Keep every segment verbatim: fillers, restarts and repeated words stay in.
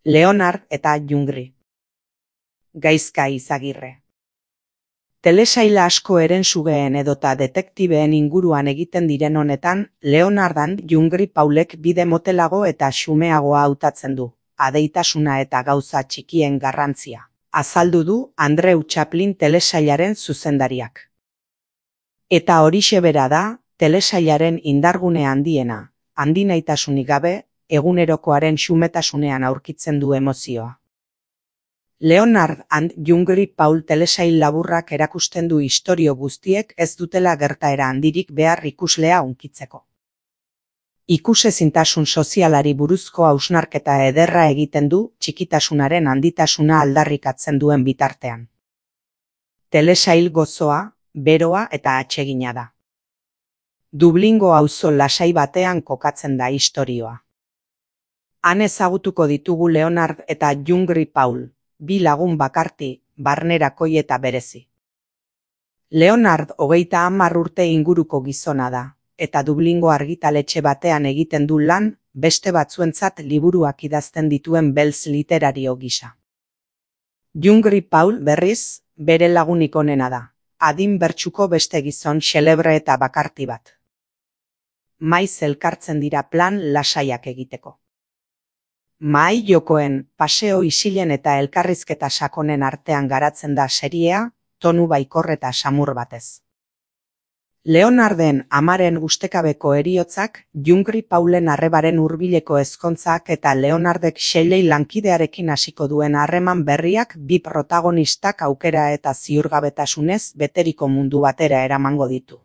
Leonard eta Jungri. Gaizka Izagirre. Telesaila asko herensugeen edota detektibeen inguruan egiten diren honetan, Leonard and Jungri Paulek bide motelago eta xumeagoa hautatzen du, adeitasuna eta gauza txikien garrantzia, azaldu du Andrew Chaplin telesailaren zuzendariak. Eta horixe bera da, telesailaren indargune handiena, handinaitasunik gabe, egunerokoaren xumetasunean aurkitzen du emozioa. Leonard and Jungri Paul telesail laburrak erakusten du istorio guztiek ez dutela gertaera handirik behar ikuslea hunkitzeko. Ikusezintasun sozialari buruzko hausnarketa ederra egiten du txikitasunaren handitasuna aldarrikatzen duen bitartean. Telesail gozoa, beroa eta atsegina da. Dublingo auzo lasai batean kokatzen da istorioa. Han ezagutuko ditugu Leonard eta Jungri Paul, bi lagun bakarti, barnerakoi eta berezi. Leonard hogeita hamar urte inguruko gizona da, eta Dublingo argitaletxe batean egiten du lan, beste batzuentzat liburuak idazten dituen beltz literario gisa. Jungri Paul berriz, bere lagunik onena da, adin bertsuko beste gizon xelebre eta bakarti bat. Maiz elkartzen dira plan lasaiak egiteko. Mahai jokoen, paseo isilen eta elkarrizketa sakonen artean garatzen da seriea, tonu baikor eta samur batez. Leonarden amaren ustekabeko heriotzak, Jungri Paulen arrebaren hurbileko ezkontzak eta Leonardek Shelley lankidearekin hasiko duen harreman berriak bi protagonistak aukera eta ziurgabetasunez beteriko mundu batera eramango ditu.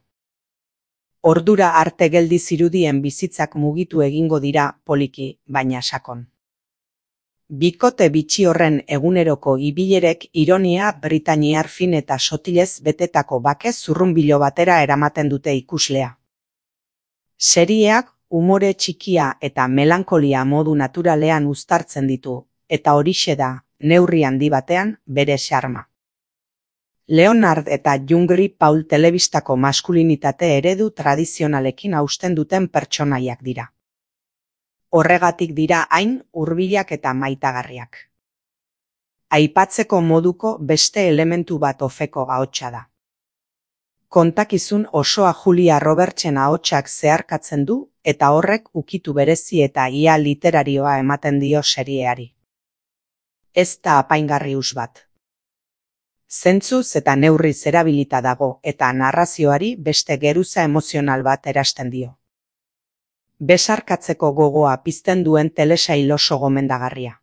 Ordura arte geldi zirudien bizitzak mugitu egingo dira poliki, baina sakon. Bikote bitxi horren eguneroko ibilerek ironia britainiar fin eta sotilez betetako bake zurrunbilo batera eramaten dute ikuslea. Serieak umore txikia eta melankolia modu naturalean uztartzen ditu, eta horixe da, neurri handi batean, bere xarma. Leonard eta Jungri Paul telebistako maskulinitate eredu tradizionalekin hausten duten pertsonaiak dira. Horregatik dira hain hurbilak eta maitagarriak. Aipatzeko moduko beste elementu bat ofeko ahotsa da. Kontakizun osoa Julia Robertsen ahotsak zeharkatzen du eta horrek ukitu berezi eta ia literarioa ematen dio serieari. Ez da apaingarri hus bat. Zentzuz eta neurriz erabilita dago eta narrazioari beste geruza emozional bat erasten dio. Besarkatzeko gogoa pizten duen telesail oso gomendagarria.